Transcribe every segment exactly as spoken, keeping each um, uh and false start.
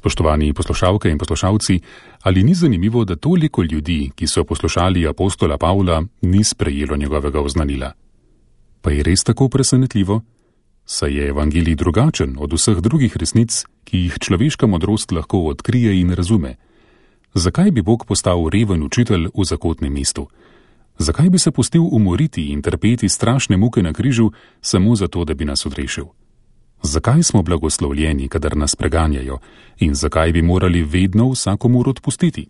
Spoštovani poslušalke in poslušalci, ali ni zanimivo, da toliko ljudi, ki so poslušali apostola Pavla, ni sprejelo njegovega oznanila? Pa je res tako presenetljivo? Saj je evangelij drugačen od vseh drugih resnic, ki jih človeška modrost lahko odkrije in razume. Zakaj bi Bog postal reven učitelj v zakotnem mestu? Zakaj bi se pustil umoriti in trpeti strašne muke na križu samo zato, da bi nas odrešil? Zakaj smo blagoslovljeni, kadar nas preganjajo, in zakaj bi morali vedno vsakomur odpustiti?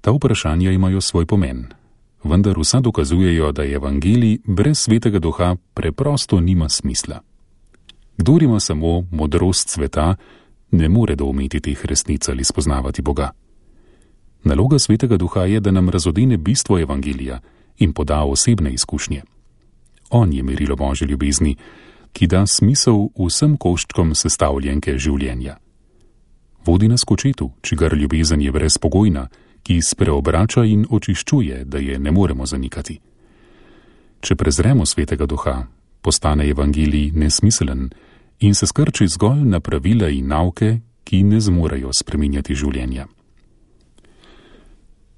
Ta vprašanja imajo svoj pomen, vendar vsa dokazujejo, da evangelij brez svetega duha preprosto nima smisla. Kdor ima samo modrost sveta, ne more doumeti teh resnic ali spoznavati Boga. Naloga svetega duha je, da nam razodene bistvo evangelija in poda osebne izkušnje. On je merilo Božje ljubezni, ki da smisel vsem koščkom sestavljenke življenja. Vodi nas k očetu, čigar ljubezen je brezpogojna, ki spreobrača in očiščuje, da je ne moremo zanikati. Če prezremo svetega duha, postane evangelij nesmiselen in se skrči zgolj na pravila in nauke, ki ne zmorejo spreminjati življenja.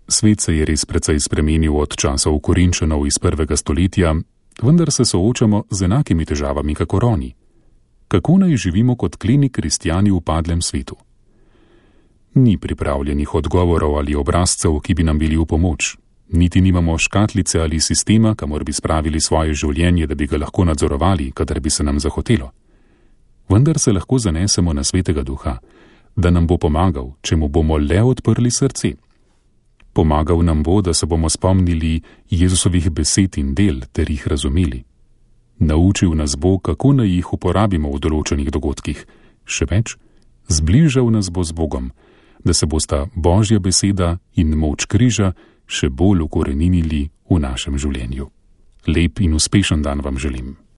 Svet se je res precej spremenil od časov Korinčanov iz prvega stoletja, vendar se soočamo z enakimi težavami kakor oni. Kako naj živimo kot kleni kristjani v padlem svetu? Ni pripravljenih odgovorov ali obrazcev, ki bi nam bili v pomoč. Niti nimamo škatlice ali sistema, kamor bi spravili svoje življenje, da bi ga lahko nadzorovali, kadar bi se nam zahotelo. Vendar se lahko zanesemo na svetega duha, da nam bo pomagal, če mu bomo le odprli srce. Pomagal nam bo, da se bomo spomnili Jezusovih besed in del ter jih razumeli. Naučil nas bo, kako naj jih uporabimo v določenih dogodkih. Še več, zbližal nas bo z Bogom, da se bosta Božja beseda in moč križa še bolj ukoreninili v našem življenju. Lep in uspešen dan vam želim.